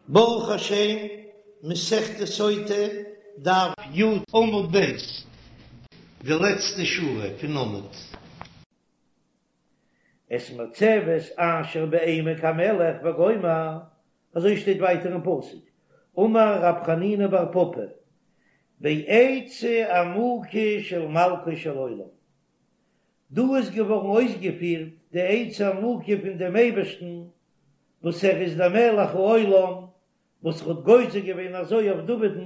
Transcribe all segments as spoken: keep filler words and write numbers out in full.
ברוך השם, מסכת סוטה, דף י עמוד ב', די לעצטע שורה פון עמוד. את מצבת אשר בעמק המלך וגומר, אזוי שטייט ווייטער אין פסוק, אמר רב חנינא בר פפא, בעצה עמוקה של מלכו של עולם, דא איז געווארן אויסגעפירט די עצה עמוקה פון דעם אייבערשטן וואס ער איז דער מלך העולם, וואס האט גוזר געווען אזוי אויף דוד'ן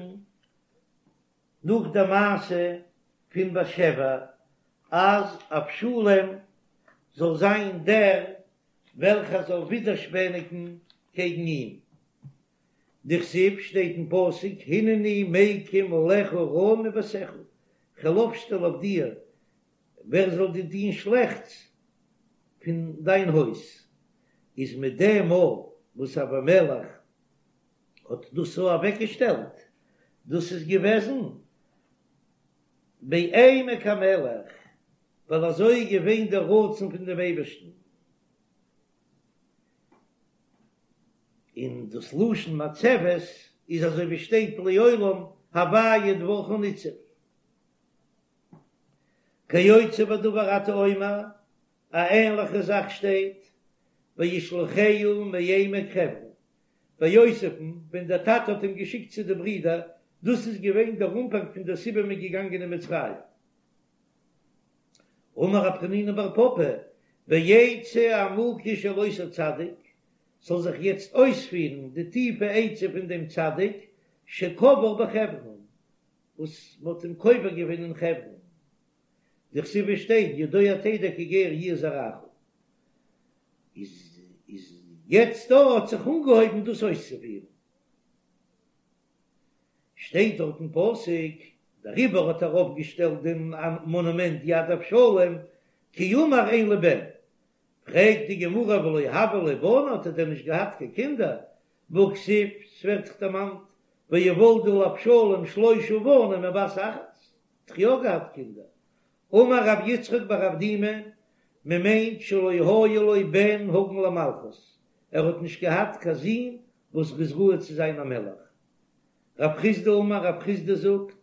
נאך די מעשה פון בת שבע, אז אבשלום זאל זיין דער וועלכער זאל ווידערשפעניגן קעגן אים. דכתיב שטייט אין פסוק הנני מקים עליך רעה מביתך, כ'וועל אויפשטעלן אויף דיר ווער זאל דיר טון שלעכטס פון דיין הויז, איז מיט דעם מאל וואס אבימלך האט דאס אזוי אוועקגעשטעלט, דאס איז געוועזן בעמק המלך, ווייל אזוי איז געווען דער רצון פון דעם אייבערשטן. און דאס לשון מצבת איז אזוי ווי שטייט לעולם הוויה דברך ניצב. כיוצא בדבר אתה אומר, א ענליכע זאך שטייט וישלחהו מעמק חברון, ביי יוסף'ן ווען דער טאטע האט אים געשיקט צו די ברידער, דאס איז געווען דער אנפאנג פון דער סיבה מ'איז געגאנגען אין מצרים. אמר רב חנינא בר פפא, בעצה עמוקה של אותו צדיק, זאל זיך יעצט אויספירן די טיפע עצה פון דעם צדיק שקבור בחברון, וואס מ'האט אים קובר געווען אין חברון, דכתיב שטייט ידוע תדע כי גר יהיה זרעך, איז איז יעצט דא האט זיך אנגעהויבן דאס אויסצופירן, שטייט דארט אין פסוק, דעריבער האט ער אויפגעשטעלט דעם מאנומענט יד אבשלום, כי אמר אין לי בן, פרעגט די גמרא ולא הוו ליה בני, האט ער דען נישט געהאט קיין קינדער, והכתיב, ס'ווערט דאך דערמאנט, ויולדו לאבשלום שלושה בנים ובת אחת, האט דאך יא געהאט קינדער, אמר רב יצחק בר אבדימי, מען מיינט שלא היה לו בן הגון למלכות, ער האט נישט געהאט קיין זון וואס איז ראוי צו זיין א מלך. רב חסדא אמר, רב חסדא זאגט,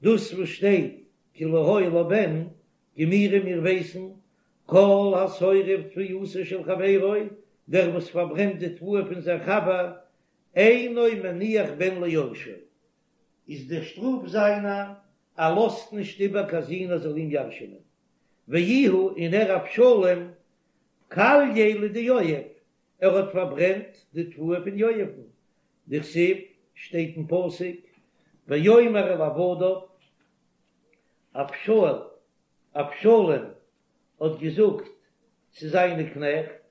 דאס וואס שטייט כי לא היה לו בן, גמירי מיר ווייסן, כל השורף תבואתו של חברו, דער וואס פארברענט די תבואה פון זיין חבר, אינו מניח בן ליורשו, איז דער שטראף זיינער, ער לאזט נישט איבער קיין זון ער זאל אים ירש'ענען. ואיהו און ער אבשלום, כלייה לדיואב, ער האט פארברענט די תבואה פון יואב'ן, דכתיב, שטייט אין פסוק, ויאמר אל עבדיו, אבשל, אבשלום האט געזאגט צו זיינע קנעכט,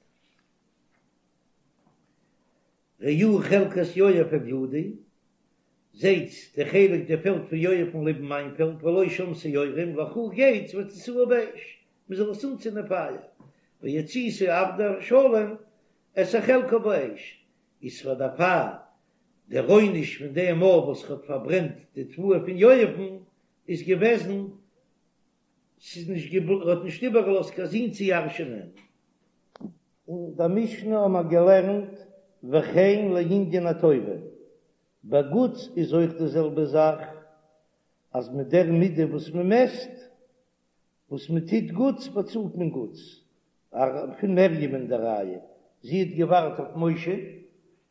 ראו חלקת יואב אל ידי, זעטס די חלק די פעלד פון יואב'ן לעבן מיין פעלד, ולא שם שעורים, לכו גייטס והציתוה באש, מען זאל עס אנצינדן פייער, ויציתו עבדי אבשלום את החלקה באש, איז פאר דערפאר דער עונש פון דעם מאל וואס ער האט פארברענט די תבואה פון יואב'ן איז געוועזן, ס'איז נישט געבל ער האט נישט איבערגעלאזט קיין זון צו ירש'נען. אין דער משנה האבן מיר געלערנט וכן לענין הטובה, ביי גוטס איז אויך די זעלבע זאך, אז מיט דער מידה וואס מען מעסט, וואס מען טוט גוטס באצאלט מען גוטס, פון מרים'ען די ראיה, זי האט געווארט אויף משה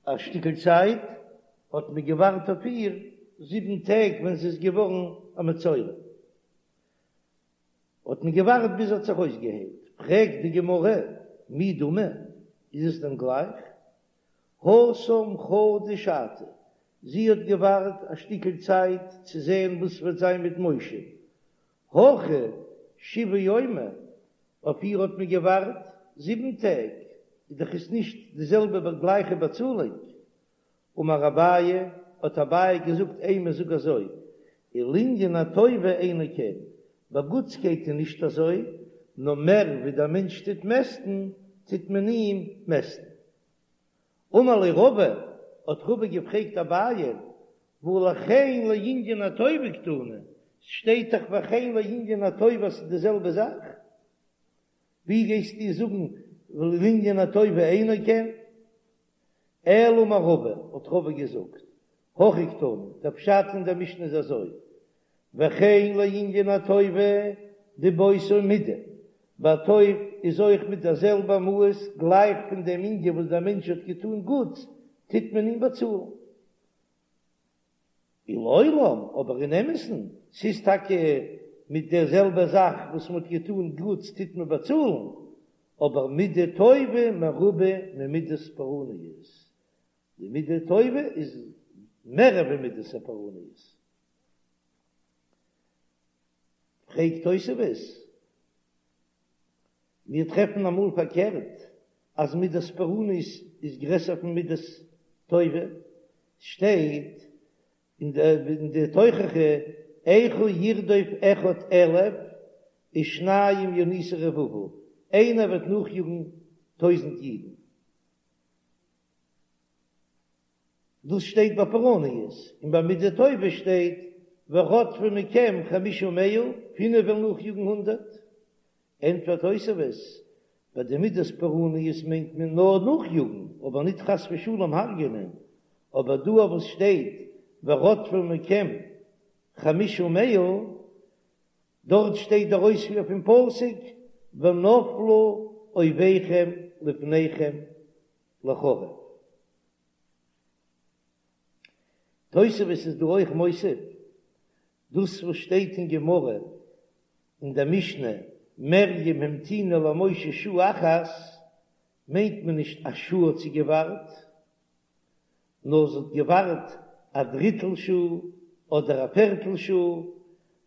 א שטיקל צייט, האט מען געווארט אויף איר זיבן טעג ווען זי איז געווארן א מצורע, האט מען געווארט ביז זי האט זיך אויסגעהיילט, פרעגט די גמרא, מי דמי, איז עס דען גלייך? התם חדא שעתא, זי האט געווארט א שטיקל צייט צו זען וואס וועט זיין מיט משה, הכא שבעה יומי, אויף איר האט מען געווארט זיבן טעג, איז דאך עס נישט די זעלבע גלייכע באצאלונג. אמר אביי, האט אביי געזאגט אימא זאג אזוי, ולענין הטובה אינו כן, ביי גוטסקייט איז נישט אזוי, נאר מער ווי דער מענטש טוט מעסטן, טוט מען אים מעסטן. אמר ליה רבא, האט רבא געפרעגט אביי, והא לכן לענין הטובה קתני, ס'שטייט דאך וכן לענין הטובה ס'איז די זעלבע זאך, ווי גייסטו זאגן לענין הטובה אינו כן? אלא אמר רבא, האט רבא געזאגט, הכי קתני, דער פשט אין דער משנה איז אזוי, וכן לענין הטובה דבאותה מידה, ביי טוב איז אויך מיט דער זעלבע מאס גלייך פון דעם ענין וואס דער מענטש האט געטאן גוטס, טוט מען אים באצאלן. ולעולם, אבער אין אמת'ן, ס'איז טאקע מיט דער זעלבע זאך וואס מ'האט געטאן גוטס טוט מען באצאלן, אבער מידה טובה מרובה ממידת פורעניות, די מידה טובה איז מערער ווי מידת הפורעניות. פרעגט תוספות, מיר טרעפן אמאל פארקערט אז מידת פורעניות איז גרעסער פון מידת טובה, שטייט אין די תוכחה איכה ירדוף אחד אלף ושניים ינוסו רבבה, איינער וועט נאכיאגן טויזנט אידן. דאס שטייט ביי פורעניות, און ביי מידה טובה שטייט ורדפו מכם חמשה מאה, פינף וועלן נאכיאגן הונדערט. ענטפערט תוספות, ביי די מידת פורעניות מיינט מען נאר נאכיאגן, אבער ניט חס ושלום הרג'ענען, אבער דא וואס שטייט ורדפו מכם חמשה מאה, דארט שטייט דער אויספיר פון פסוק ונפלו אויביכם לפניכם לחרב. תוספות איז דא אויך מוסיף דאס וואס שטייט אין גמרא אין דער משנה מרים המתינה למשה שעה אחת מיינט מען נישט א שעה האט זי געווארט, נאר זי האט געווארט א דריטל שעה אדער א פערטל שעה,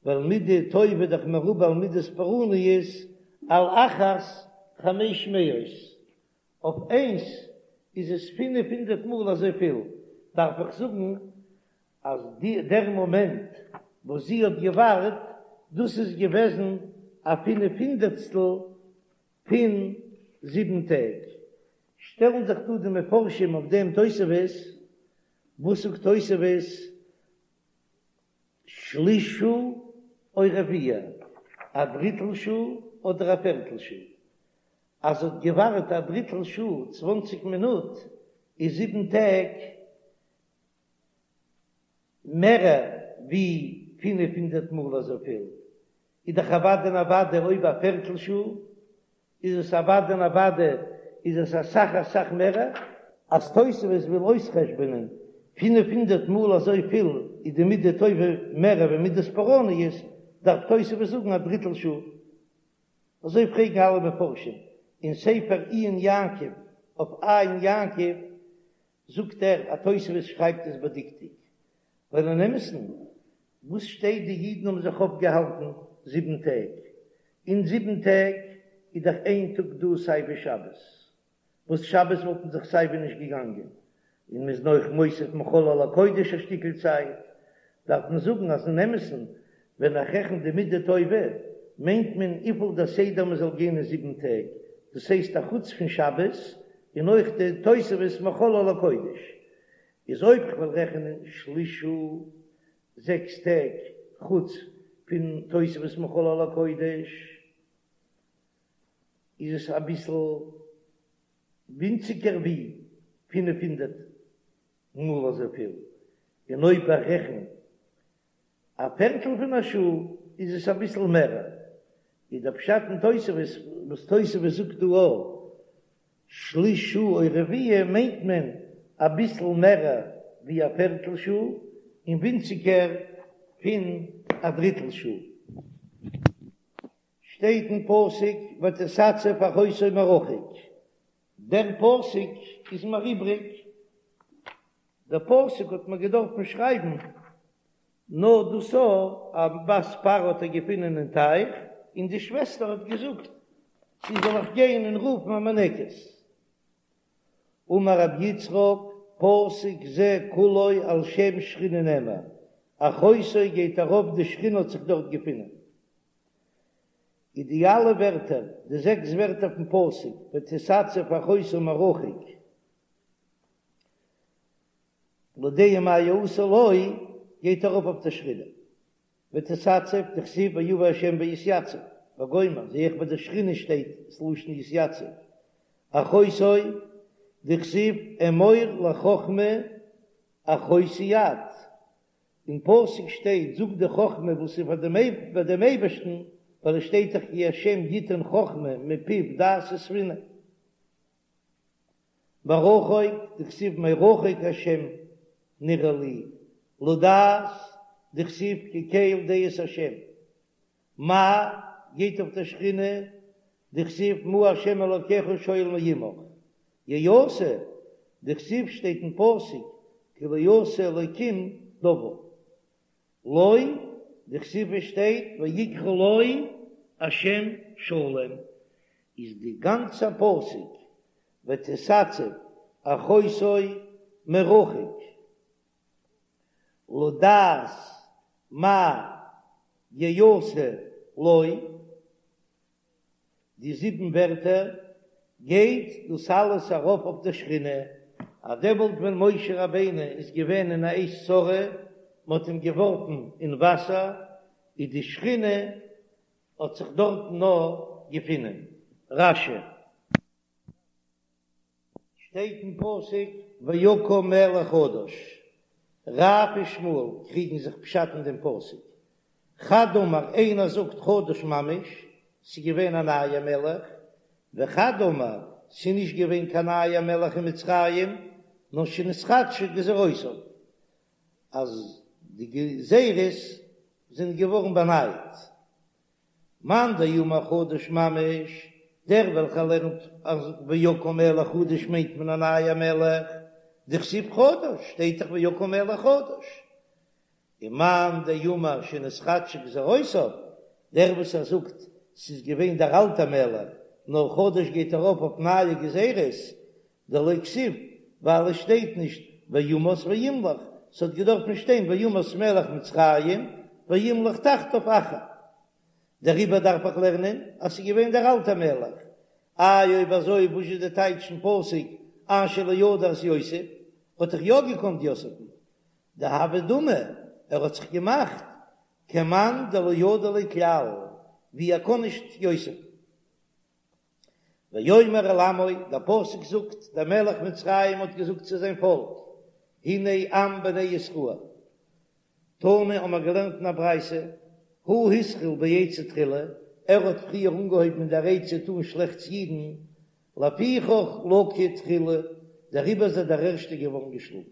ווייל מידה טובה דאך מרובה על מידת פורעניות על אחת חמש מאות, אויף איינס איז עס פינף הונדערט מאל אזויפיל, דארף איך זאגן אז די דער מאמענט וואס זי האט געווארט, דאס איז געוועזן א פינף הונדערטסטל פון זיבן טעג. שטעלן זיך דא די מפרשים אויף דעם תוספות, וואס זאגט תוספות? שליש שעה או רביע, א דריטל שעה אדער א פערטל שעה. אז זי האט געווארט א דריטל שעה, צוואנציג מינוט, איז זיבן טעג מערער ווי פינף הונדערט מאל אזויפיל, איז דאך אוודאי און אוודאי אויב א פערטל שעה איז עס אוודאי און אוודאי איז עס אסאך אסאך מערער. אז תוספות וויל אויסחשבונען פינף הונדערט מאל אזויפיל איז די מידה טובה מערער ווי מידת פורעניות, דארף תוספות זאגן א דריטל שעה. אזוי פרעגן אלע מפרשים אין ספר עיון יעקב אויף עין יעקב זאגט ער אז תוספות שרייבט עס בדקדוק, ווייל אין אמת'ן וואס שטייט די אידן האבן זיך אויפגעהאלטן זיבן טעג, אין זיבן טעג איז דאך איין טאג דא סיי ווי שבת, וואס שבת וואלט מען זיך סיי ווי נישט געגאנגען, און מ'איז נאך מוסיף מחול על הקודש א שטיקל צייט, דארף מען זאגן אז אין אמת'ן ווען איך רעכן די מידה טובה מיינט מען וויפיל דער סדר מען זאל גיין אין זיבן טעג, דאס הייסט א חוץ פון שבת און אויך די תוספת מחול על הקודש, איז אויב כ'וועל רעכענען שליש שעה זעקס טעג חוץ פון תוספת מחול על הקודש איז עס אביסל ווינציגער ווי פינף הונדערט מאל אזויפיל, און אויב איך רעכן א פערטל פון א שעה איז עס אביסל מערער, איז דער פשט אין תוספות וואס תוספות זאגט דא א שליש שעה או רביע מיינט מען אביסל מערער ווי א פערטל שעה און ווינציגער פון א דריטל שעה. שטייט אין פסוק ותתצב אחותו מרחוק, דער פסוק איז מיר איבריג, דער פסוק האט מען געדארפן שרייבן נאר דאס א בת פרעה האט ער געפונען אין טייך, און די שוועסטער האט געזאגט צו זאל איך גיין און רופן א מינקת. אמר רבי יצחק, פסוק זה כולו על שם שכינה נאמר, אחותו גייט ארויף די שכינה האט זיך דארט געפונען. איז די אלע ווערטער, די זעקס ווערטער פון פסוק, ותתצב אחותו מרחוק, לדעה מה יעשה לו, גייט ארויף אויף די שכינה, ותתצב, דכתיב ויבא ה' ויתיצב, וגומר, זעה איך ביי די שכינה שטייט ס'לשון יתיצב, אחותו, דכתיב אמור לחכמה אחותי את, אין פסוק שטייט זאג די חכמה וואס איז פאר ביי דעם אייבערשטן, ווייל עס שטייט דאך כי השם יתן חכמה מפיו דעת ותבונה. מרחוק, דכתיב מרחוק השם נראה לי, לדעת, דכתיב כי קל דעות השם. מה, גייט אויף דער שכינה, דכתיב מה השם אלקיך שואל מעמך. יעשה, דכתיב שטייט אין פסוק כי לא עשה אלקים דבר. לו, דכתיב עס שטייט ויקרא לו השם שלום, איז די גאנצע פסוק ותתצב אחותו מרחוק לדעת מה יעשה לו, די זיבן ווערטער גייט דאס אלעס ארויף אויף די שכינה, אז דעמאלט ווען משה רבינו איז געווען אין א עת צרה, מען האט אים געווארפן אין וואסער, איז די שכינה האט זיך דארטן נאר געפונען. רש"י. שטייט אין פסוק ויקם מלך חדש, רב ושמואל קריגן זיך פשט אין דעם פסוק, חד אמר איינער זאגט חדש ממש, ס'איז געווען א נייער מלך, וחד אמר ס'איז נישט געווען קיין נייער מלך אין מצרים, נאר שנתחדשו גזירותיו, אז די גזירות זענען געווארן באנייט. מאן דאמר חדש ממש, דער וועלכער לערנט אז ויקם מלך חדש מיינט מען א נייער מלך, דכתיב חדש, שטייט דאך ויקם מלך חדש. און מאן דאמר שנתחדשו גזירותיו, דער וואס ער זאגט ס'איז געווען דער אלטער מלך, נאר חדש גייט ארויף אויף נייע גזירות, דלא כתיב, ווייל עס שטייט נישט וימת וימלוך, ס'האט געדארפן שטיין וימת מלך מצרים וימלוך תחתיו אחר. דעריבער דארף איך לערנען אז ס'איז געווען דער אלטער מלך. איי אויב אזוי וואס איז די טייטש אין פסוק אשר לא ידע את יוסף, האט דאך יא געקאנט יוסף'ן. דהוה דמי, ער האט זיך געמאכט כמאן דלא ידע ליה כלל, ווי ער קען נישט יוסף'ן. ויאמר אל עמו, דער פסוק זאגט, דער מלך מצרים האט געזאגט צו זיין פאלק, הנה עם בני ישראל. תנא האבן מיר געלערנט אין א ברייתא, הוא התחיל בעצה תחילה, ער האט פריער אנגעהויבן אין דער עצה טאן שלעכטס אידן, לפיכך לקה תחילה, דעריבער איז ער דער ערשטער געווארן געשלאגן.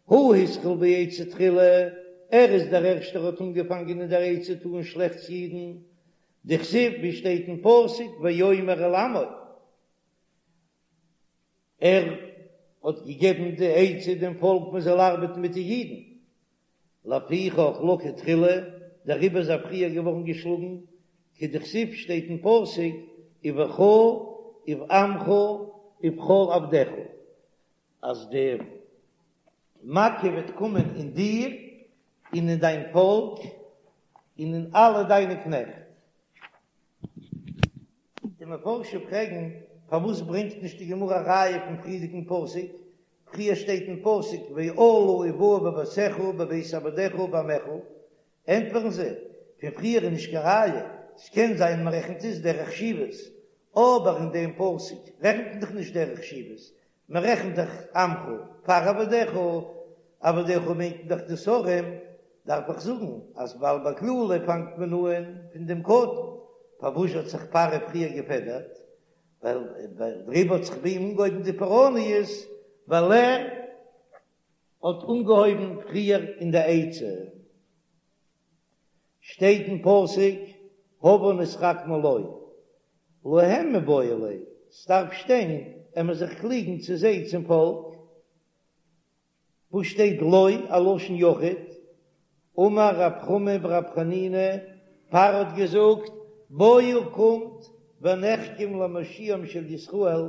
הוא התחיל בעצה תחילה, ער איז דער ערשטער האט אנגעפאנגען אין דער עצה טאן שלעכטס אידן, דכתיב ווי שטייט אין פסוק ויאמר אל עמו, ער האט געגעבן די עצה דעם פאלק מען זאל ארבעטן מיט די אידן, לפיכך לקה תחילה, דעריבער איז ער פריער געווארן געשלאגן, כדכתיב שטייט אין פסוק ובך ובעמך ובכל עבדיך, אז די מכה וועט קומען אין דיר און אין דיין פאלק און אין אלע דיינע קנעכט. די מפרשים פרעגן, פארוואס ברענגט נישט די גמרא א ראיה פון פריערדיגן פסוק? פריער שטייט אין פסוק ואלה ובאו בביתך ובבית עבדיך ובעמך, ענטפערן זיי, פון פריער איז נישט קיין ראיה, ס'קען זיין מ'רעכנט עס דרך חשיבות, אבער אין דעם פסוק רעכנט מען דאך נישט דרך חשיבות, מען רעכנט דאך עמך פאר עבדיך, עבדיך מיינט מען דאך די שרים, דארף איך זאגן אז ווייל ביי קללה פאנגט מען אהן פון דעם קטן, פארוואס האט זיך פרעה פריער געפעדערט? ווייל דעריבער האט זיך ביי אים אנגעהויבן די פורעניות, ווייל ער האט אנגעהויבן פריער אין די עצה. שטייט אין פסוק הבה נתחכמה לו, להם מיבעי ליה, ס'דארף שטיין עמער זיך קליגן צו זיי צום פאלק, וואס שטייט לו א לשון יחיד, אמר רב חמא ברב חנינא, פרעה האט געזאגט, בואו קומט ונחכם למושיעם של ישראל,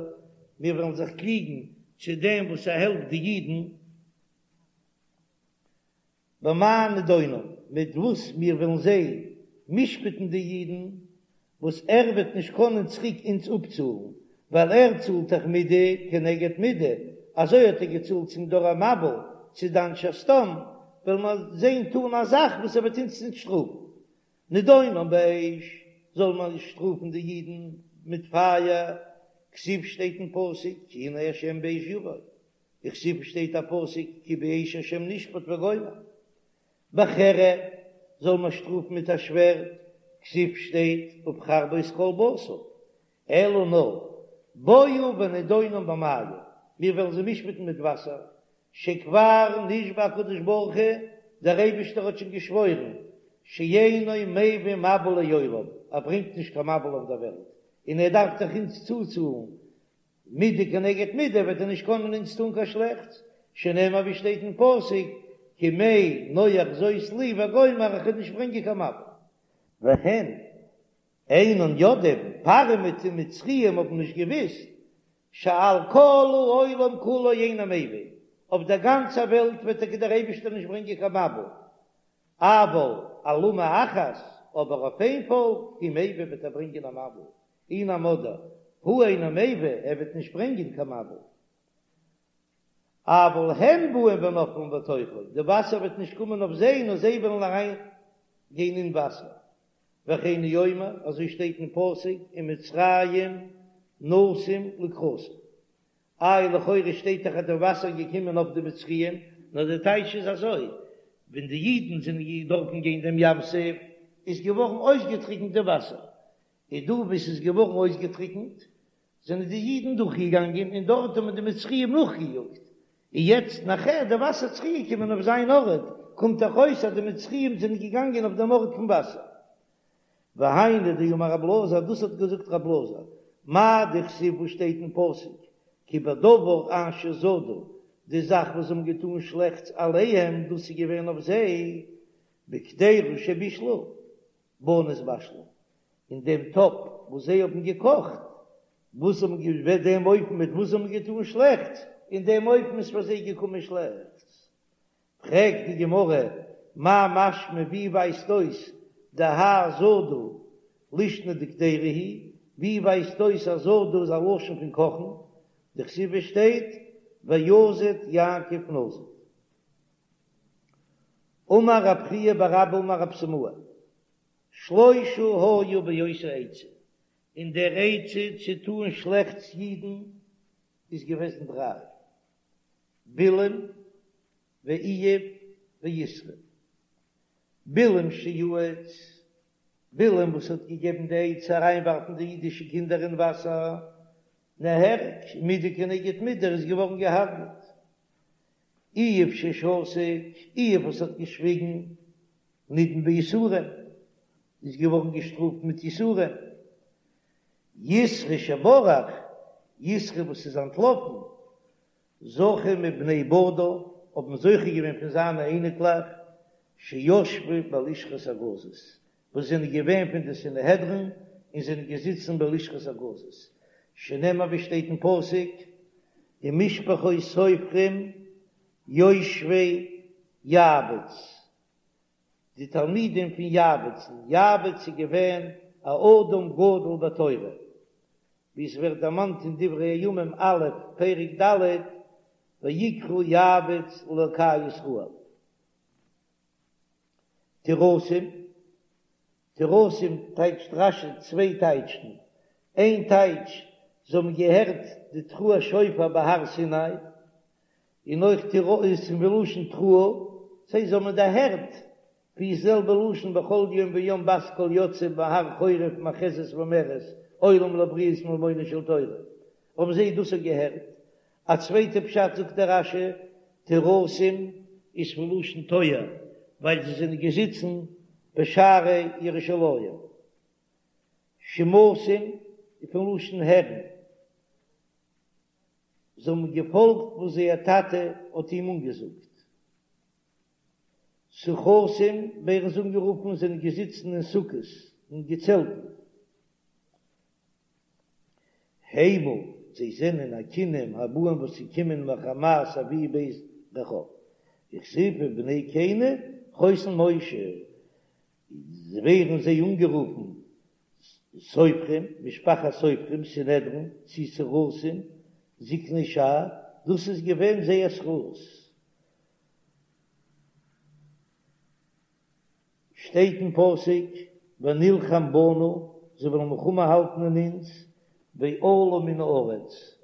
מיר וועלן זיך קליגן צו דעם וואס ער העלפט די אידן, במה נדונם, מיט וואס מיר וועלן זיי משפט'ן די אידן, וואס ער וועט נישט קענען צוריק אונז אפצאלן, ווייל ער צאלט דאך מידה כנגד מידה, אזוי האט ער געצאלט צום דור המבול, צו די אנשי סדום, וועלן מיר זען טאן א זאך וואס ער וועט אונז נישט שטראפן. נדונם באש, זאל מען שטראפן די אידן מיט פייער, כתיב שטייט אין פסוק כי הנה השם באש יבוא, וכתיב שטייט א פסוק כי באש השם נשפט וגומר. בחרב זאל מען שטראפן מיט א שווערד, כתיב שטייט ובחרבו את כל בשר, אלא נאר בואו ונדונם במים, מיר וועלן זיי משפט'ן מיט וואסער, שכבר נשבע הקדוש ברוך הוא, דער אייבישטער האט שוין געשוואוירן, שאינו מביא מבול לעולם, ער ברענגט נישט קיין מבול אויף דער וועלט, און ער דארף דאך אונז צוצאלן מידה כנגד מידה, וועט ער נישט קענען אונז טאן קיין שלעכטס, שנאמר ווי שטייט אין פסוק, כמי נח זאת לי וגומר, איך וועל נישט ברענגען קיין מבול. והן אינן יודעים, פרעה מיט די מצריים האבן נישט געוויסט, שעל כל העולם כולו אינו מביא, אויף דער גאנצער וועלט וועט טאקע דער אייבישטער נישט ברענגען קיין מבול, אבל על אומה אחת, אבער אויף איין פאלק, הוא מביא וועט ער ברענגען א מבול, אי נמי הוא אינו מביא, ער וועט נישט ברענגען קיין מבול. אבל הם באים ונופלים בתוכו, די וואסער וועט נישט קומען אויף זיי, נאר זיי וועלן אריין גיין אין וואסער. וכן הוא אומר, אזוי שטייט אין פסוק, ומצרים נסום לקראתם. איי לכאורה שטייט דאך אז די וואסער איז געקומען אויף די מצריים, נאר די טייטש איז אזוי, ווען די אידן זענען דורכן גיין דעם ים סוף, איז געווארן אויסגעטריקנט די וואסער, און דא וואו ס'איז געווארן אויסגעטריקנט, זענען די אידן דורכגעגאנגען און דארט האבן די מצריים נאכגעיאגט, און יעצט נאכער די וואסער צוריקגעקומען אויף זיין ארט, קומט דאך אויס אז די מצריים זענען געגאנגען אויף דעם ארט פון וואסער. והיינו דאמר רב אלעזר, דאס האט געזאגט רב אלעזר, מאי דכתיב וואס שטייט אין פסוק, כי בדבר אשר זדו, די זאך וואס זיי האבן געטאן שלעכטס עליהם, דאס איז געווען אויף זיי, בקדירה שבישלו, בה נתבשלו, אין דעם טאפ וואס זיי האבן געקאכט, וואס האבן געווען דעם אופן מיט וואס זיי האבן געטאן שלעכטס, אין דעם אופן איז פאר זיי געקומען שלעכטס. פרעגט די גמרא, מאי משמע ווי ווייזט אויס דהאי זדו לישנא דקדירה היא, ווי ווייזט אויס אז זדו איז א לשון פון קאכן, דכתיב עס שטייט ויזד יעקב נזיד. אמר רב חייא בר אבא אמר רב סימאי, שלושה היו באותה עצה, אין דער עצה צו טאן שלעכטס אידן איז געוועזן דריי, בלעם ואיוב ויתרו. בלעם שיעץ, בלעם וואס האט געגעבן די עצה אריינווארפן די אידישע קינדער אין וואסער, נהרג, מידה כנגד מידה, ער איז געווארן געהארגעט. איוב ששתק, איוב וואס האט געשוויגן, נידון ביסורים, איז געווארן געשטראפט מיט יסורים. יתרו שברח, יתרו וואס איז אנטלאפן, זכו מבני בניו, האבן זוכה געווען פון זיינע אייניקלעך, שישבו בלשכת הגזית, וואס זענען געווען פון די סנהדרין און זענען געזיצן בלשכת הגזית, שנאמר ווי שטייט אין פסוק, ומשפחות סופרים יושבי יעבץ, די תלמידים פון יעבצן, יעבץ איז געווען א אדם גדול בתורה, ווי עס ווערט דערמאנט אין דברי הימים א' פרק ד', ויקרא יעבץ לאלקי ישראל. טורסים, טורסים טייטשט רש"י צוויי טייטשן, איין טייטש, זיי האבן געהערט די תרועת שופר בהר סיני, און אויך טורסים מלשון תרועה, זיי האבן דערהערט ווי ס'זעלבע לשון בכל יום ויום בת קול יוצאה מהר חורב מאחזת ואומרת עולים לבריות מלמונה של תורה, האבן זיי דאס אויך געהערט. א צווייטע פשט זאגט דער רש"י, טורסים איז פון לשון טויער, ווייל זיי זענען געזיצן בשערי ירושלים. שמעתים איז פון לשון הערן, זיי האבן געפאלגט וואס זייער טאטע האט אים אנגעזאגט. סוכתים ווערן זיי אנגערופן, זענען געזיצן אין סוכות, אין געצעלטן. המה, זיי זענען הכינים הבאים וואס ס'קומען מחמת אבי בית רחב. וכתיב ובני קיני חותן משה, ווערן זיי אנגערופן סופרים, משפחת סופרים, סנהדרין, צי סורסים, זקני שער, דאס איז געווען זייער זכות. שטייט אין פסוק ונלחם בנו, זיי וועלן מלחמה האלטן אין אונז, ועלו מן הארץ,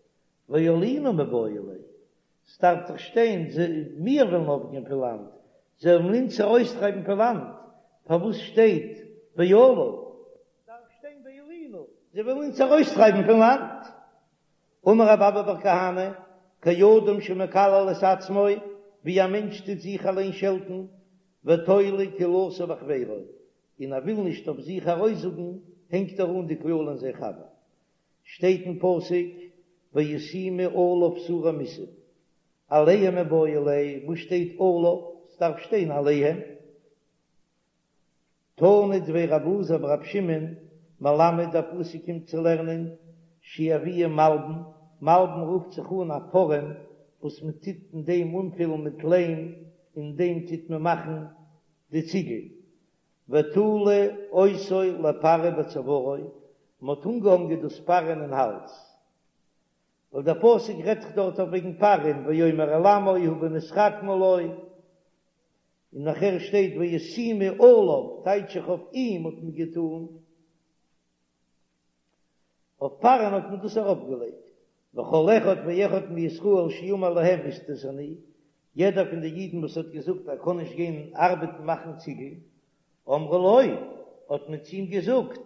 ועלינו מיבעי ליה, ס'דארף דאך שטיין מיר וועלן ארויפגיין פון לאנד, זיי וועלן אונז ארויסטרייבן פון לאנד, פארוואס שטייט ועלו? דארף שטיין ועלינו, זיי וועלן אונז ארויסטרייבן פון לאנד. אמר רב אבא בר כהנא, כאדם שמקלל את עצמו, ווי א מענטש טוט זיך אליין שעלטן, ותולה קללתו בחבירו, און ער וויל נישט אויף זיך ארויסזאגן, הענגט ער אן די קללה אין זיין חבר. שטייט אין פסוק, וישימו עליו שרי מסים, עליהם מיבעי ליה, וואס שטייט עליו? ס'דארף שטיין עליהם. תנא דבי רב אלעזר ברב שמעון מלמד דער פסוק קומט צו לערנען שיביאו מלבן, מלבן רופט זיך אן א פארעם וואס מען טוט אין דעם אנפילן מיט ליים, אין דעם טוט מען מאכן די ציגל, ותלו אותו לפרעה בצוארו, מען האט אנגעהאנגען דאס פרעה'ן אין האלז, ווייל דער פסוק רעדט זיך דארט אויף וועגן פרעה'ן ויאמר אל עמו הבה נתחכמה לו, און נאכער שטייט וישימו עליו, טייטש איך אויף אים האט מען געטאן, אויף פרעה'ן האט מען דאס ארויפגעלייגט, וכל אחד ואחד מישראל שאמר להם איסטניס אני, יעדער פון די אידן וואס האט געזאגט ער קען נישט גיין ארבעטן מאכן ציגל, אמרו לו, האט מען צו אים געזאגט,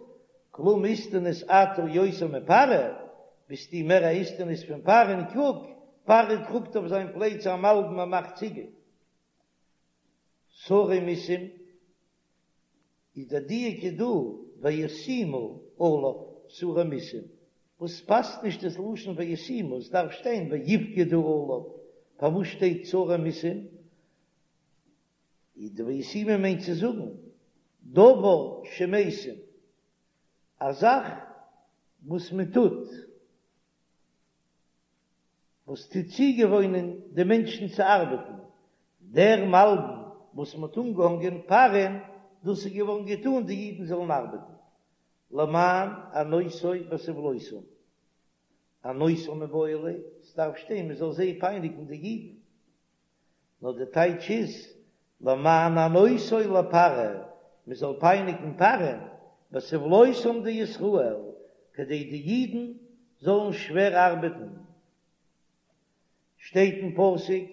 כלום איסטניס אתה יותר מפרעה, ביסטו מער א איסטניס פון פרעה'ן, קוק, פרעה טראגט אויף זיין פלייצע א מלבן ער מאכט ציגל. שרי מסים איז דער דיוק איז דא וישימו עליו שרי מסים, וואס פאסט נישט דאס לשון וישימו, עס דארף שטיין ויפקדו עליו, פארוואס שטייט שרי מסים? איז די וישימו מיינט צו זאגן דבר שמשים, א זאך וואס מען טוט. וואס טוט צוגעוואוינען די מענטשן צו ארבעטן, דער מלבן וואס מען האט אנגעהאנגען פרעה'ן, דאס איז געווארן געטאן די אידן זאלן ארבעטן, למען ענותו בסבלותם, ענותם מיבעי ליה, ס'דארף שטיין מען זאל זיי פייניגן די אידן, נאר די טייטש איז למען ענותו לפרעה, מען זאל פייניגן פרעה'ן, בסבלותם דישראל, כדי די אידן זאלן שווער ארבעטן. שטייט אין פסוק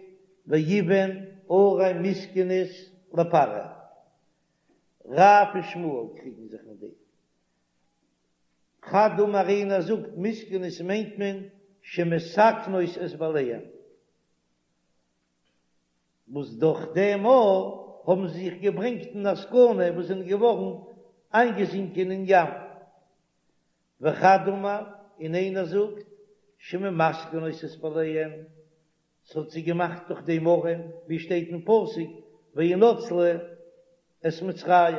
ויבן ערי מסכנות לפרעה. רב און שמואל קריגן זיך אין דעם. חד אמר איינער זאגט מסכנות מיינט מען שמסכנות את בעליהן. וואס דורך דעם האבן זיי זיך געברענגט אין א סכנה וואס זענען געווארן איינגעזינקען אין ים. וחד אמר, און איינער זאגט, שממסכנות את בעליהן, ס'האט זיי געמאכט דורך דעם ארעם, ווי שטייט אין פסוק, וינצלו את מצרים.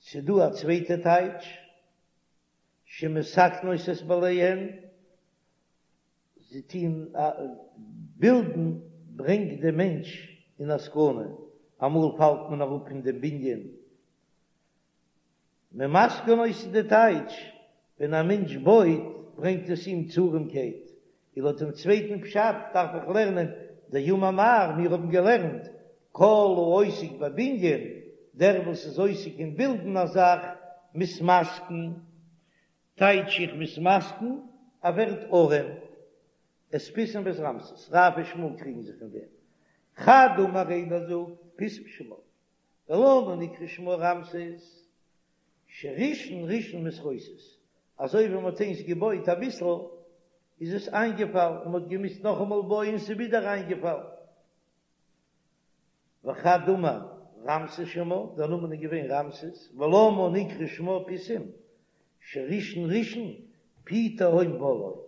ס'דא א צווייטע טייטש, שמתקנות את בעליהן, זיי טוהן בילדן ברענגט דעם מענטש אין א סכנה, אמאל פאלט מען אראפ פון דעם בנין, ממסכנות איז די טייטש, ווען א מענטש בויט ברענגט עס אים צו ארעמקייט, און לויט דעם צווייטן פשט דארף איך לערנען דאמר מר, מיר האבן געלערנט כל העוסק בבנין, דער וואס איז עוסק אין בילדן א זאך, מתמסכן, טייטש איך מתמסכן, ער ווערט ארעם, את פיתום ואת רעמסס, רב און שמואל קריגן זיך אין דעם, חד אמר איינער זאגט פיתום שמה, ולמה נקרא שמה רעמסס, שראשון ראשון מתרוסס, אזוי ווי מען האט איינס געבויט אביסל איז עס איינגעפאלן און מען האט געמוזט נאכאמאל בויען ס'איז ווידער איינגעפאלן. וחד אמר רעמסס שמה, דער נאמען איז געווען רעמסס, ולמה נקרא שמה פיתום, שראשון ראשון פי תהום בלעו,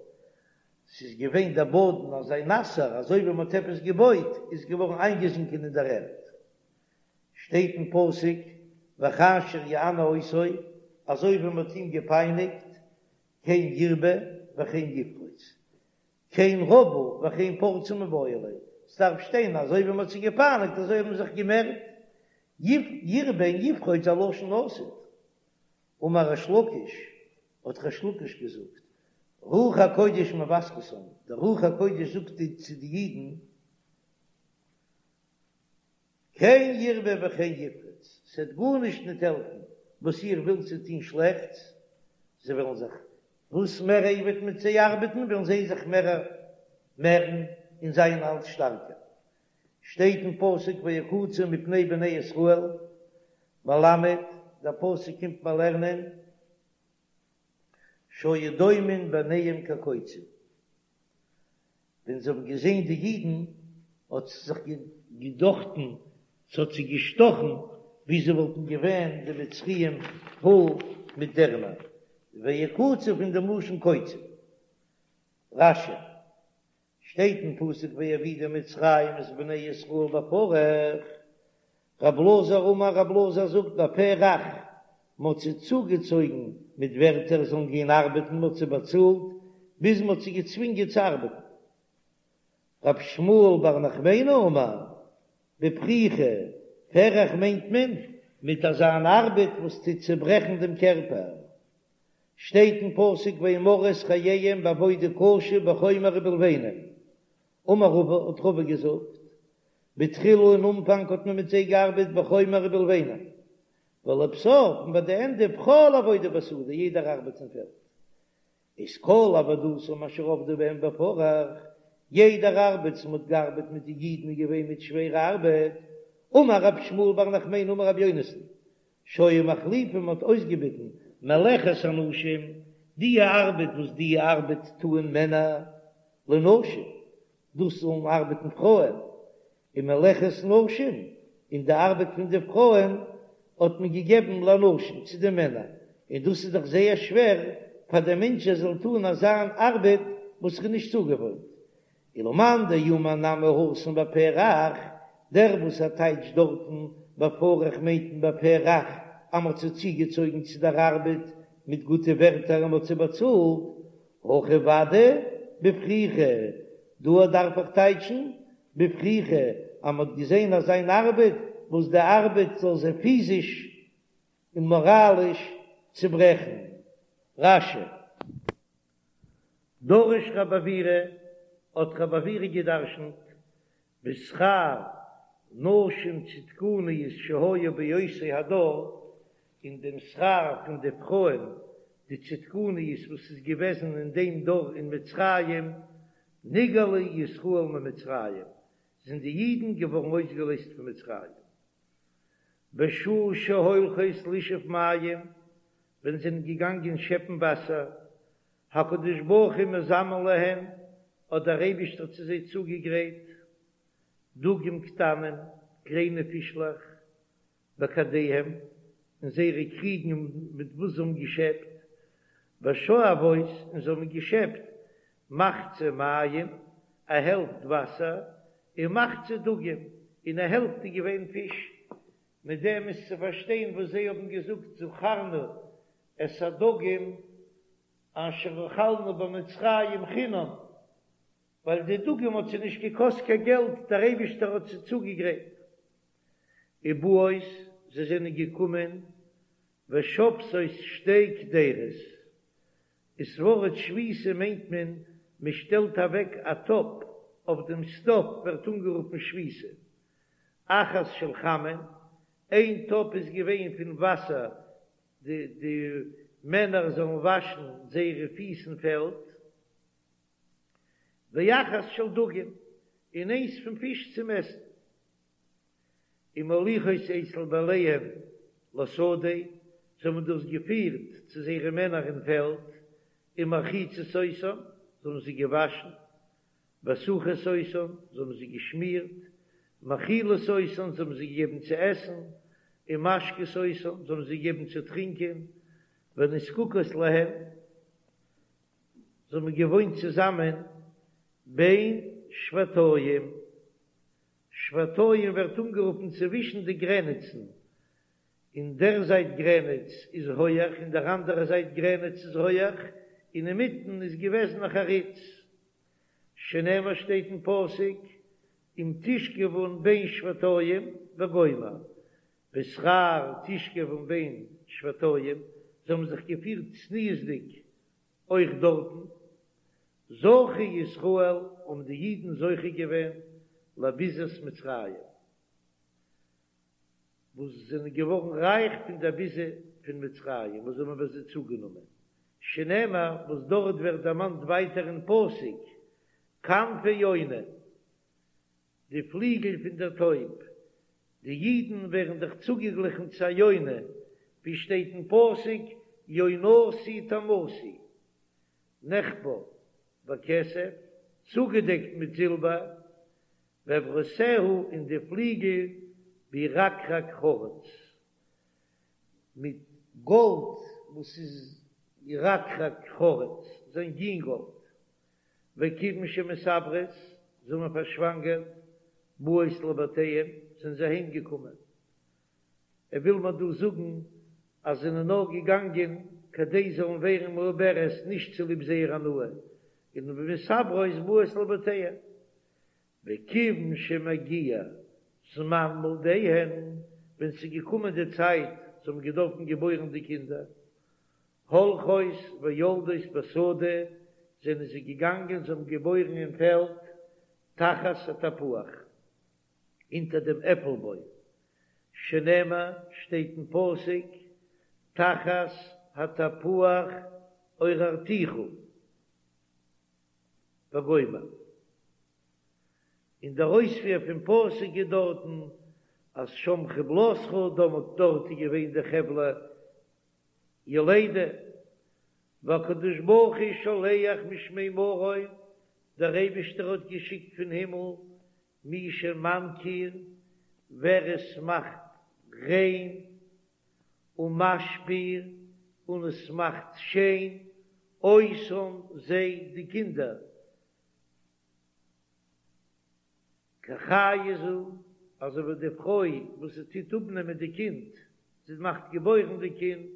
ס'איז געווען דער באדן אזוי נאסער, אזוי ווי מען האט עפעס געבויט איז געווארן איינגעזינקען אין דער ערד. שטייט אין פסוק וכאשר יענו אותו, אזוי ווי מען האט אים געפייניגט, כן ירבה וכן יפרוץ, כן רבו וכן פרצו מיבעי ליה, ס'דארף שטיין אזוי ווי מ'האט זיי געפייניגט אזוי האבן זיך געמערט, ירבה און יפרוץ א לשון עתיד. אמר ריש לקיש, האט ריש לקיש געזאגט, רוח הקודש מבשרתם, דער רוח הקודש זאגט צו די אידן, כן ירבה וכן יפרוץ, ס'וועט גארנישט ניט העלפן וואס איר ווילט צו טון שלעכטס, זיי וועלן זיך, וואס מער ער וועט מיט זיי ארבעטן וועלן זיי זיך מער מערן און זיין אלץ שטארקער. שטייט אין פסוק ויקוצו מפני בני ישראל, מלמד, דער פסוק קומט מיר לערנען שהיו דומין בעיניהם כקוצים, ווען זיי האבן געזען די אידן האט זיך געדאכטן, ס'האט זיי געשטאכן ווי זיי וואלטן געווען די מצריים פול מיט דערנער, ויקוצו פון דעם לשון קוצים. רש"י, שטייט אין פסוק ויעבידו מצרים את בני ישראל בפרך, רב אלעזר אמר רב אלעזר זאגט בפה רך, מ'האט זיי צוגעצויגן מיט ווערטער זאלן גיין ארבעטן מ'האט זיי באצאלט ביז מ'האט זיי געצווינגען צו ארבעטן. רב שמואל בר נחמני אמר בפריכה, פרך מיינט מען מיט אזא אן ארבעט וואס טוט צעברעכן דעם קערפער. שטייט אין פסוק וימררו את חייהם בעבודה קשה בחומר ובלבנים. אמר רבא, האט רבא געזאגט, בתחילה אין אנפאנג האט מען מיט זיי געארבעט בחומר ובלבנים, ולבסוף און ביי די ענדע בכל עבודה בשדה, יעדער ארבעט אין פעלד. איז כל עבודתם אשר עבדו בהם בפרך, יעדער ארבעט וואס מ'האט געארבעט מיט די אידן איז געווען מיט שווערע ארבעט, אמר רב שמואל בר נחמני אמר רבי יונתן, שהיו מחליפין מ'האט אויסגעביטן מלאכת אנשים, די ארבעט וואס די ארבעט טוען מענער, לנשים, דאס זאלן ארבעטן פרויען, און מלאכת נשים, און די ארבעט פון די פרויען האט מען געגעבן לאנשים, צו די מענער, און דאס איז דאך זייער שווער פאר דער מענטש ער זאל טון אזא ארבעט וואס ער איז נישט צוגעוואוינט. ולמאן דאמר נמי התם בפה רך, דער וואס ער טייטשט דארטן בפרך מיינט מען בפה רך אז מ'האט זיי צוגעצויגן צו דער ארבעט מיט גוטע ווערטער און מ'האט זיי באצאלט, הכא ודאי בפריכה, דא דארף איך טייטשן בפריכה אז מ'האט געזען אזא אן ארבעט וואס די ארבעט זאל זיי פיזיש און מאראליש צוברעכן. רש"י. דרש רב עוירא, האט רב עוירא געדרשנט בשכר נשים צדקניות שהיו באותו הדור, אין דעם שכר פון די פרויען די צדקניות וואס איז געוועזן אין דעם דור אין מצרים, נגאלו ישראל ממצרים, זענען די אידן געווארן אויסגעלייזט פון מצרים. בשעה שהולכות לשאוב מים, ווען זיי זענען געגאנגען שעפן וואסער, הקדוש ברוך הוא מזמן להן, האט דער אייבישטער צו זיי צוגעגרייט דגים קטנים, קליינע פישלעך, בכדיהם, אין זייערע קריגן מיט וואס זיי האבן געשעפט, ושואבות, און זיי האבן געשעפט מחצה מים, א העלפט וואסער, און מחצה דגים, און א העלפט איז געווען פיש. מיט דעם איז צו פארשטיין וואס זיי האבן געזאגט זכרנו את הדגים אשר אכלנו במצרים חינם, ווייל די דגים האט זיי נישט געקאסט קיין געלט, דער אייבישטער האט זיי צוגעגרייט. ובאות, זיי זענען געקומען, ושובתות שתי קדירות, דאס ווארט שביתה מיינט מען, מען שטעלט אוועק א טאפ אויף דעם סטאוו ווערט אנגערופן שביתה, אחת של חמין, איין טאפ איז געווען פון וואסער די די מענער זאלן וואשן זייערע פיס אין פעלד, ואחת של דגים, און איינס פון פיש צום עסן. ומוליכות אצל בעליהן לשדה, זיי האבן דאס געפירט צו זייערע מענער אין פעלד, ומרחיצות אותן, זיי האבן זיי געוואשן, וסכות אותן, זיי האבן זיי געשמירט, מאכילות אותן, זיי האבן זיי געגעבן צו עסן, ומשקות אותן, זיי האבן זיי געגעבן צו טרינקען, ונזקקות להן, זיי האבן געוואוינט צוזאמען בין שבתים. שבתים ווערט אנגערופן צווישן די גרעניצן, אין דער זייט גרעניץ איז הויעך אין דער אנדערע זייט גרעניץ איז הויעך, און אינמיטן איז געוועזן א חריץ. שנאמר שטייט אין פסוק אם תשכבון בין שבתים וגומר, בשכר תשכבון בין שבתים, זיי האבן זיך געפירט צניעות'דיג אויך דארטן, זכו ישראל האבן די אידן זוכה געווען לביזת מצרים, וואס זענען געווארן רייך פון דער ביזה פון מצרים וואס זיי האבן ביי זיי צוגענומען, שנאמר, וואס דארט ווערט דערמאנט ווייטער אין פסוק, כנפי יונה, די פליגל פון דער טויב, די אידן ווערן דאך צוגעגליכן צו א יונה, ווי שטייט אין פסוק, יונתי תמתי, נחפר בכסף, צוגעדעקט מיט זילבער, ואברותיה און די פליגל בירקרק חרוץ, מיט גאלד וואס איז ירקרק חרוץ, זיין גינגאלד, וכיוון שמתעברות, זיי האבן פארשוואנגערט, באות לבתיהן, זענען זיי אהיים געקומען. ער וויל מיר דא זאגן אז זיי זענען נאר געגאנגען כדי זאלן ווערן מעוברת נישט צוליב זייער הנאה, און מתעברות באות לבתיהן. וכיוון שמגיע זמן מולדיהן, ווען ס'איז געקומען די צייט זיי האבן געדארפן געבוירן די קינדער, הולכות ויולדות בשדה, זענען זיי געגאנגען זיי האבן געבוירן אין פעלד, תחת התפוח, אונטער דעם עפל בוים, שנאמר, שטייט אין פסוק, תחת התפוח עוררתיך וגומר. און דער אויספיר פון פסוק איז דארטן אז שם חבלתך, דאמאלט דארט איז געווען די חבלי יולדה, והקדוש ברוך הוא שולח משמי מרום, דער אייבישטער האט געשיקט פון הימל מי שמנקיר, ווער עס מאכט ריין, ומשפיר, און עס מאכט שיין, אותם זיי די קינדער, כחיה זו, אזוי ווי די פרוי וואס זי טוט אפנעמען די קינד, זי מאכט געבוירן די קינד,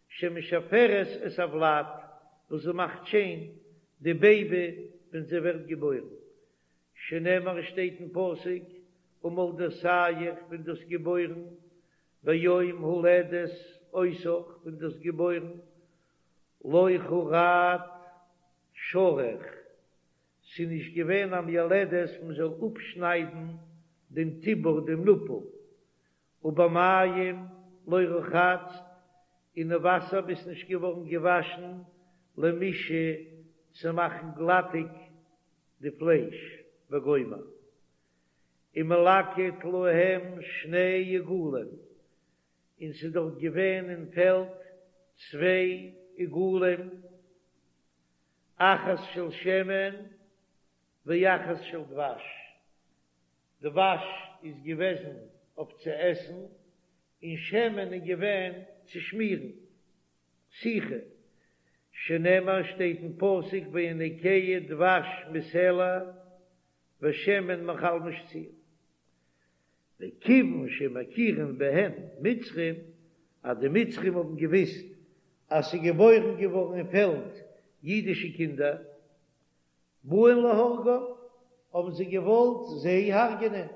שמשפרת את הוולד, וואס זי מאכט שיין די בעיבי ווען זי ווערט געבוירן, שנאמר שטייט אין פסוק, ומולדתיך ווען דו האסט געבוירן, ביום הולדת אותך ווען דו האסט געבוירן, לא חרט שרך, ס'איז נישט געווען א מילדת מען זאל אפשניידן דעם טבור דעם נאפל, ובמים לא רחצת, אין וואסער ביסט נישט געווארן געוואשן למישא צו מאכן גלאטיג די פלייש וגומר, ומלקט להם שני עגלים, און ס'איז דארט געווען אין פעלד צוויי עגלים, אחת של שמן ואחת של דבש, דבש איז געוועזן אויף צו עסן, און שמן איז געווען צו שמירן, סיכה, שנאמר שטייט אין פסוק ויניקהו דבש מסלע ושמן מחלמיש צור. וכיוון שמכירין בהם מצרים, אז די מצרים האבן געוויסט אז ס'איז געבוירן געווארן אין פעלד אידישע קינדער, באין להורגם, האבן זיי געוואלט זיי הרג'נען.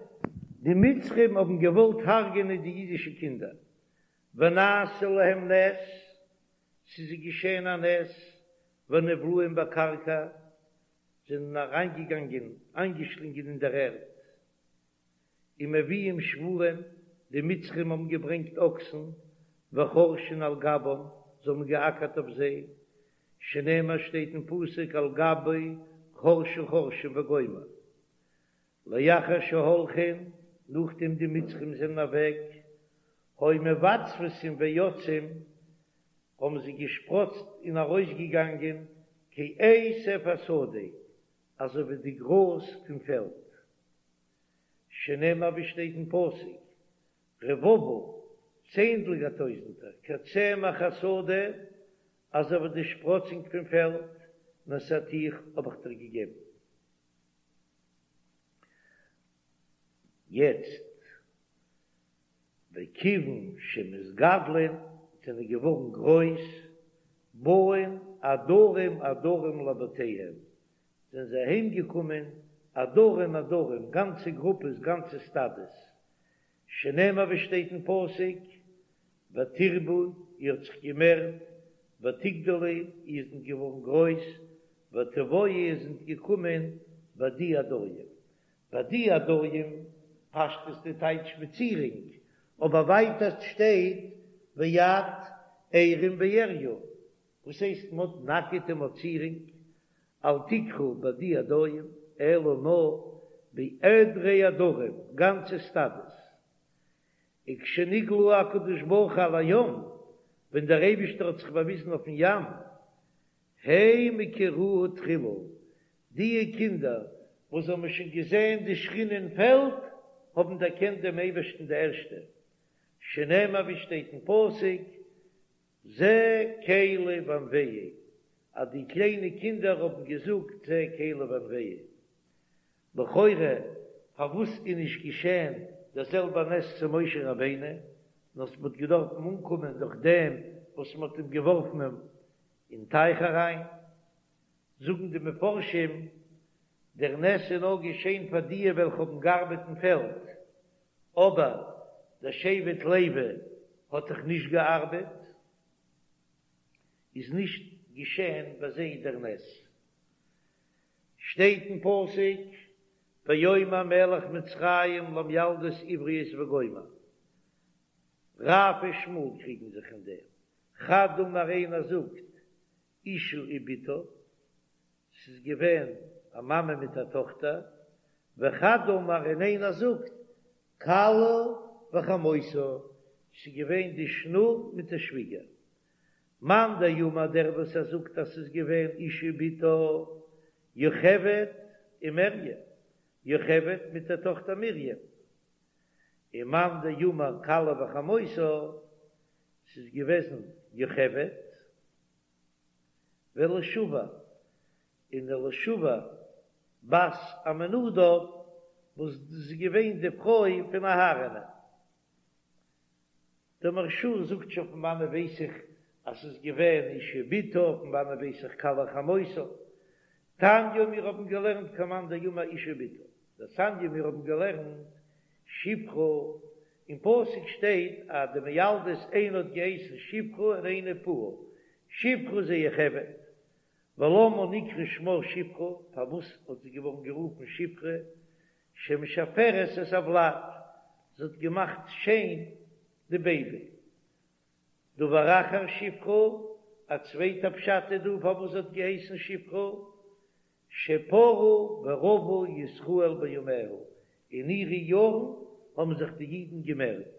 די מצרים האבן געוואלט הרג'נען די אידישע קינדער, ונעשה להם נס, ס'איז זיי געשען א נס, ונבלעים בקרקע, זענען אריינגעגאנגען, איינגעשלינגען אין דער ערד. ומביאים שוורים, די מצרים האבן געברענגט אקסן, וחורשין על גבם, זיי האבן געאקערט אויף זיי, שנאמר שטייט אין פסוק על גבי חרשו חורשין וגומר. לאחר שהולכין, נאכדעם די מצרים זענען אוועק, היו מבצבצין ויוצאין, האבן זיי געשפראצט און ארויסגעגאנגען כעשב השדה, אזוי ווי די גראז פון פעלד. שנאמר ווי שטייט אין פסוק, רבבה, צענדליגער טויזנטער, כצמח השדה, אזוי ווי די שפראצונג פון פעלד, נתתיך האב איך דיר געגעבן. יעצט, וכיוון שמתגדלין, זענען געווארן גרויס, באין עדרים עדרים לבתיהם, זענען זיי אהיים געקומען עדרים עדרים, גאנצע גרופעס, גאנצע סטאדעס, שנאמר ווי שטייט אין פסוק, ותרבו, איר האט זיך געמערט, ותגדלו, איר זענט געווארן גרויס, ותבואו, איר זענט געקומען, בעדי עדרים. בעדי עדרים, פשטות די טייטש מיט צירונג, אבער ווייטער שטייט ואת עירום ועריה, וואס הייסט מ'האט נאקעט און מ'האט צירונג? אל תקרא בדי עדרים, אלא נאר בעדרי עדרים, גאנצע סטאדעס. וכשנגלה הקדוש ברוך הוא על הים, ווען דער אייבישטער האט זיך באוויזן אויפן ים, הם הכירוהו תחילה, דיע קינדער וואס האבן שוין געזען די שכינה אין פעלד, האבן דערקענט דעם אייבערשטן די ערשטע, שנאמר ווי שטייט אין פסוק, זה קלי ואנוהו, אז די קליינע קינדער האבן געזאגט זה קלי ואנוהו. לכאורה פארוואס איז נישט געשען דער זעלבער נס צו משה רבינו, נאר ס'האט געדארפן אנקומען דורך דעם וואס מ'האט אים געווארפן אין טייך אריין? זאגן די מפרשים, דער נס איז נאר געשען פאר דיע וועלכע האבן געארבעט אין פעלד, אבער דער שבט לוי האט דאך נישט געארבעט, איז נישט געשען ביי זיי דער נס. שטייט אין פסוק, ויאמר מלך מצרים למיילדות עבריות וגומר, רב ושמואל קריגן זיך אין דעם, חד אמר איינער זאגט אשה ובתה, ס'איז געווען א מאמע מיט א טאכטער, וחד אמר און איינער זאגט כלה וחמותה, ס'איז געווען די שנור מיט די שוויגער. מאן דאמר דער וואס ער זאגט אז ס'איז געווען אשה ובתה, יוכבד ומרים, יוכבד מיט דער טאכטער מרים. און מאן דאמר כלה וחמותה, ס'איז געוועזן יוכבד ואלישבע, און אלישבע בת עמינדב, וואס דאס איז געווען די פרוי פון אהרן'ען. דער מהרש"א זאגט שוין פון וואנען ווייס איך אז ס'איז געווען אשה ובתה, פון וואנען ווייס איך כלה וחמותה. תניא מיר האבן געלערנט כמאן דאמר אשה ובתה, דתניא מיר האבן געלערנט שפרה, אין פסוק שטייט אז די מילדות איינע האט געהייסן שפרה און איינע פועה, שפרה זו יוכבד, ולמה נקרא שמה שפרה, פארוואס האט זי געווארן גערופן שפרה, שמשפרת את הוולד, זי האט געמאכט שיין די בעיבי. דבר אחר שפרה, א צווייטע פשט איז דא פארוואס זי האט געהייסן שפרה, שפרו ורבו ישראל בימיה, אין אירע יארן האבן זיך די אידן געמערט.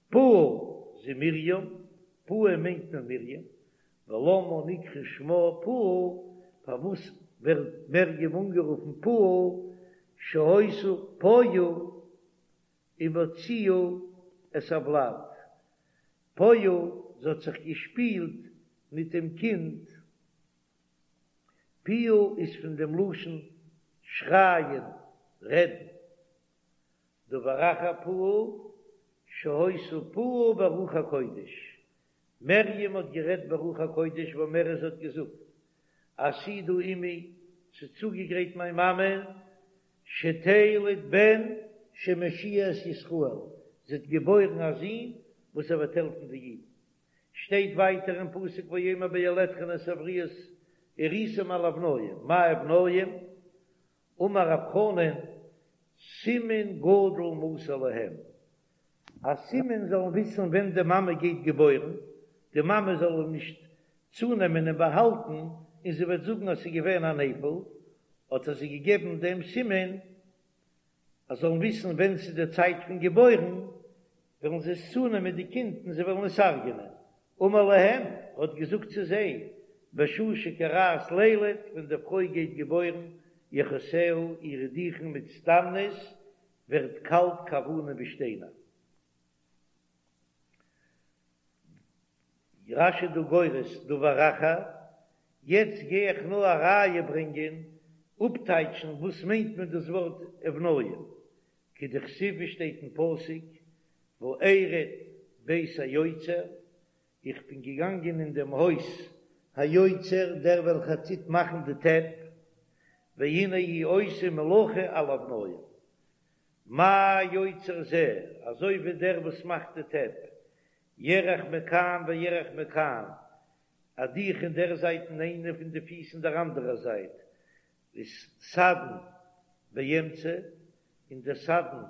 פועה זו מרים, פועה מיינט מען מרים, ולמה נקרא שמה פועה, פארוואס ווערט מרים אנגערופן פועה, שהיתה פועה ומוציאה את הוולד, פועה, זי האט זיך געשפילט מיט דעם קינד, פועה איז פון דעם לשון שרייען, רעדן. דבר אחר פועה, שהיתה פועה ברוח הקודש, מרים האט גערעדט ברוח הקודש ואומרת זי האט געזאגט, עתידה אמי, ס'איז צוגעגרייט מיין מאמע, שתלד בן שמושיע את ישראל, זי האט געבוירן א זון וואס ער וועט העלפן די אידן. שטייט ווייטער אין פסוק ויאמר בילדכם את העבריות וראיתם על אבניים, מאי אבניים? אמר רב חנן, סימן גדול מסר להם, א סימן זאלן וויסן ווען די מאמע גייט געבוירן, די מאמע זאל אים נישט צונעמען און באהאלטן, און זי וועט זאגן אז ס'איז געווען א נפל, האט ער זיי געגעבן דעם סימן, אז זאלן וויסן ווען ס'איז די צייט פון געבוירן, וועלן זיי עס צונעמען די קינד און זיי וועלן עס הרג'ענען. אמר להם, האט געזאגט צו זיי, בשעה שכורעת לילד, ווען די פרוי גייט געבוירן, ירכותיה, אירע דיכן מצטננות, ווערט קאלט כאבנים ווי שטיינער. רש"י דא גורס דבר אחר, יעצט גיי איך נאר א ראיה ברענגען, אפטייטשן וואס מיינט מען דאס ווארט אבניים, כדכתיב ווי שטייט אין פסוק, וארד בית היוצר, איך בין געגאנגען אין דעם הויז היוצר, דער וועלכער טוט מאכן די טעפ, והנה הוא עושה מלאכה על אבניים. מה יוצר זה, אזוי ווי דער וואס מאכט די טעפ, ירך מכאן וירך מכאן, א דיך אין דער זייט און איינע פון די פיס אין דער אנדערער זייט, איז סדן באמצע, און דער סדן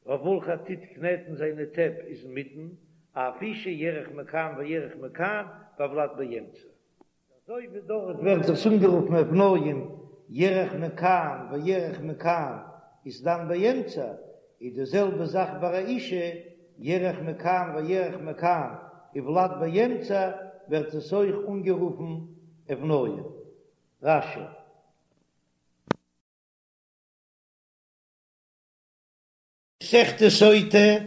אויף וועלכע ער טוט קנעטן זיינע טעפ איז אינמיטן, אף אשה ירך מכאן וירך מכאן והולד באמצע. אזוי ווי דארט ווערט עס אנגערופן אבניים ירך מכאן וירך מכאן איז דם באמצע, איז די זעלבע זאך ביי א אישה ירך מכאן וירך מכאן וולד באמצע ווערט עס אויך אנגערופן אבניים. רש"י. מסכת סוטה,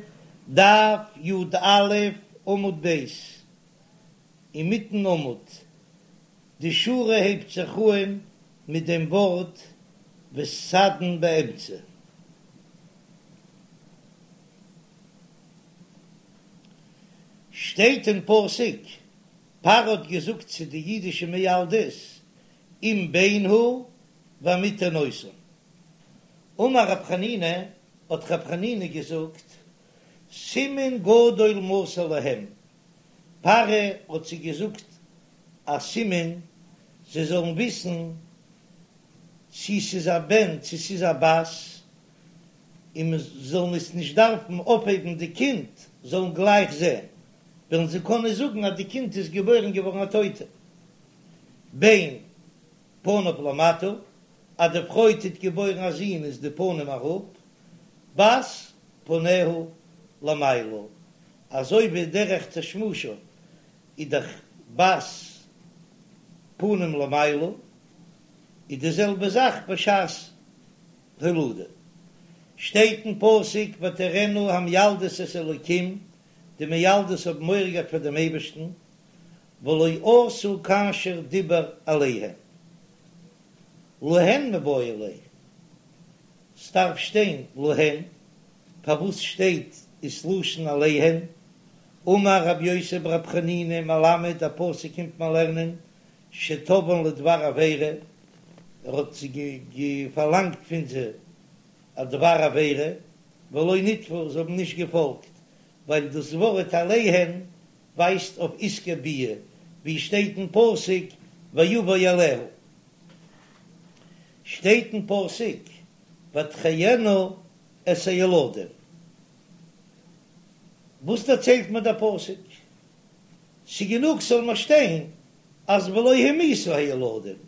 דף י"א, עמוד ב', אינמיטן עמוד, די שורה הייבט זיך אהן מיט דעם ווארט וסדין באמצע. שטייט אין פסוק, פרעה האט געזאגט צו די אידישע מילדות, אם בן הוא והמיתן אותם. אמר רב חנינא, האט רב חנינא געזאגט, סימן גדול מסר להם, פרעה האט זיי געזאגט א סימן זיי זאלן וויסן צי ס'איז א בן צי ס'איז א בת, און מען זאל עס נישט דארפן אויפהייבן די קינד, זאלן גלייך זען, וועלן זיי קענען זאגן אז די קינד איז געבוירן געווארן א טויטע. בן פניו למטה, אז די פרוי טוט געבוירן א זון איז די פנים אראפ, בת פניה למעלה, אזוי ווי דרך תשמישה איז דאך בת פנים למעלה, איז די זעלבע זאך בשעת הולדה. שטייט אין פסוק ותיראנה המילדות את האלקים, די מילדות האבן מורא געהאט פאר דעם אייבערשטן, ולא עשו כאשר דיבר אליהן. להן מיבעי ליה, ס'דארף שטיין להן, פארוואס שטייט עס לשון אליהן? אמר רבי יוסי ברבי חנינא מלמד דער פסוק קומט מיר לערנען שתבאן לדבר עבירה, ער האט פארלאנגט פון זיי א דבר עבירה, ולא נתפו, זיי האבן נישט געפאלגט, ווייל דאס ווארט אליהן ווייזט אויף עסקי ביאה, ווי שטייט אין פסוק ויבא אליה, שטייט אין פסוק ותחיינה את הילדים, וואס דערציילט מיר דער פסוק? ס'גענוג ס'זאל מיר שטיין אז ולא המיתו הילדים,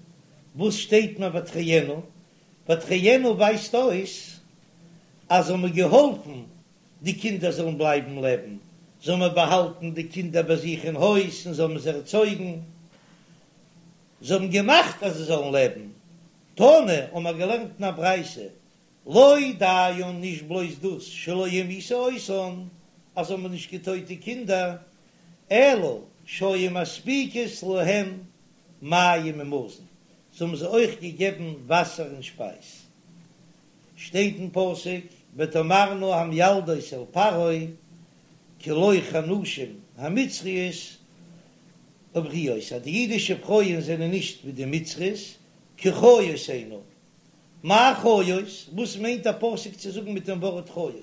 וואס שטייט מיר ותחיינה? ותחיינה ווייזט אויס אז זיי האבן געהאלפן די קינדער זאלן בלייבן לעבן, זיי האבן באהאלטן די קינדער ביי זיך אין הויז און זיי האבן זיי ערצויגן, זיי האבן געמאכט אז זיי זאלן לעבן. תנא, האבן מיר געלערנט אין א ברייתא, לא דיין נישט בלויז דאס שלא המיתו אותן, אז זיי האבן נישט געטויט די קינדער, אלא שהיו מספיקות להם מים ומזון, זיי האבן זיי אויך געגעבן וואסער און שפייז. שטייט אין פסוק ותאמרנה המילדות אל פרעה כי לא כנשים המצריות העבריות אז די אידישע פרויען זענען נישט ווי די מצריות כי חיות הנה מאי חיות וואס מיינט דער פסוק צו זאגן מיט דעם ווארט חיות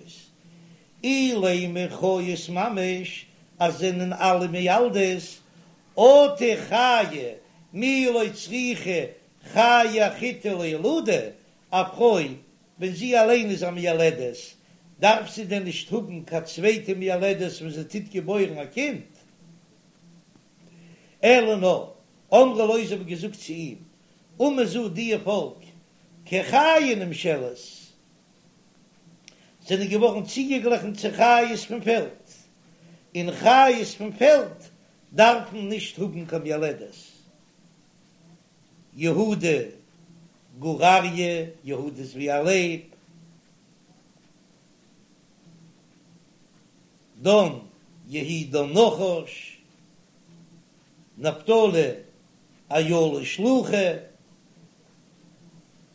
אילימא חיות ממש אז זענען אלע מילדות אטו חיה מי לא צריכא חיה אחריתי לילודי א פרוי ווען זי אליין איז א מיילדת, דארף זי דען נישט האבן קיין צווייטע מיילדת ווען זי טוט געבוירן א קינד? אלא נאר, אמרו לו זיי האבן געזאגט צו אים, אומה זו דיע פאלק, כחיה נמשלת, זענען געווארן צוגעגליכן צו חיות פון פעלד, און חיות פון פעלד דארפן נישט האבן קיין מיילדת. יהודה גור אריה, יהודה איז ווי א לייב, דן יהי דן נחש, נפתלי אילה שלוחה,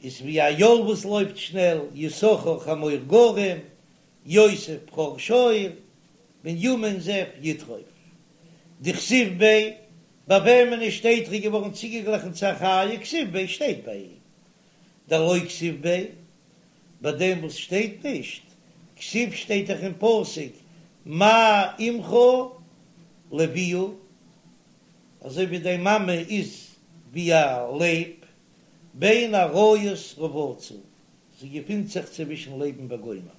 איז ווי א איל וואס לויפט שנעל, יששכר חמור גרם, יוסף בכור שור, בנימין זאב יטרף. דכתיב ביה ביי וועמען עס שטייט ר'איז געווארן צוגעגליכן צו א חיה כתיב ביה שטייט ביי אים דלא כתיב ביה ביי דעם וואס שטייט נישט כתיב שטייט דאך אין פסוק מה אמך לביאה אזוי ווי דיין מאמע איז ווי א לייב בין אריות רבצה זי געפינט זיך צווישן לייבן וגומר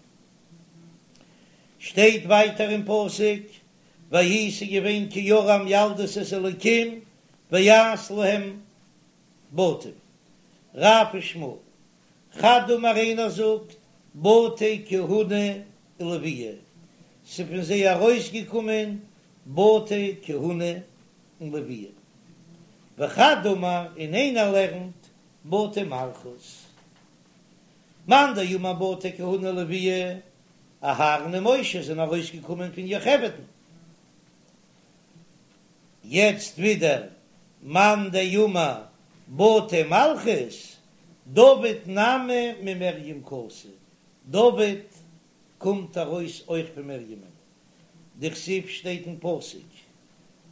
שטייט ווייטער אין פסוק ויהי ס'איז געווען כי יראו המילדות את האלקים, ויעש להם בתים. רב ושמואל, חד אמר איינער זאגט בתי כהונה ולויה, ס'איז פון זיי ארויסגעקומען בתי כהונה און לויה. וחד אמר און איינער לערנט בתי מלכות. מאן דאמר בתי כהונה ולויה, אהרן און משה זענען ארויסגעקומען פון יוכבד'ן. יעצט ווידער מאן דאמר בתי מלכות, דוד נמי ממרים קאתי, דוד קומט ארויס אויך פון מרים'ן, דכתיב שטייט אין פסוק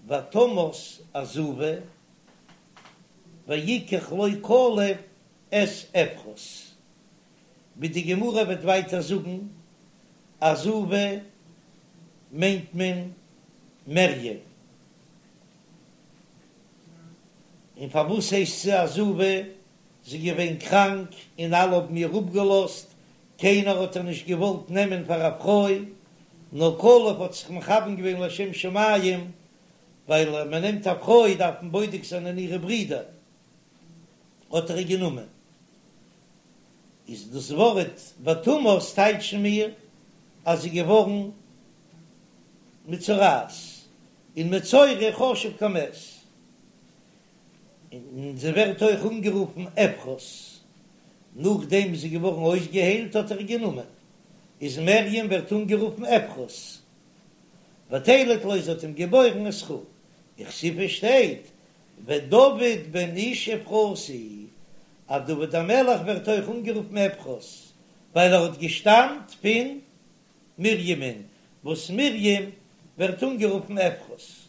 ותמת עזובה ויקח לו כלב את אפרת, ווי די גמרא וועט ווייטער זאגן, עזובה מיינט מען מרים, און פארוואס הייסט זי עזובה? זי איז געווען קראנק און אלע האבן איר אפגעלאזט, קיינער האט איר נישט געוואלט נעמען פאר א פרוי, נאר כלב האט זיך מכוון געווען לשם שמים, ווייל אז מען נעמט א פרוי דארף מען בודק זיין אין אירע ברידער, האט ער איר גענומען. איז דאס ווארט ותמת טייטשן מיר אז זי איז געווארן מצורעת, און מצורע חשוב כמת, און זי ווערט אויך אנגערופן אפרת, נאכדעם זי איז געווארן אויסגעהיילט האט ער איר גענומען, איז מרים ווערט אנגערופן אפרת, ותלד לו זי האט אים געבוירן את חור, וכתיב שטייט ודוד בן איש אפרתי, אז דוד המלך ווערט אויך אנגערופן אפרת, ווייל ער האט געשטאמט פון מרים'ן, וואס מרים ווערט אנגערופן אפרת.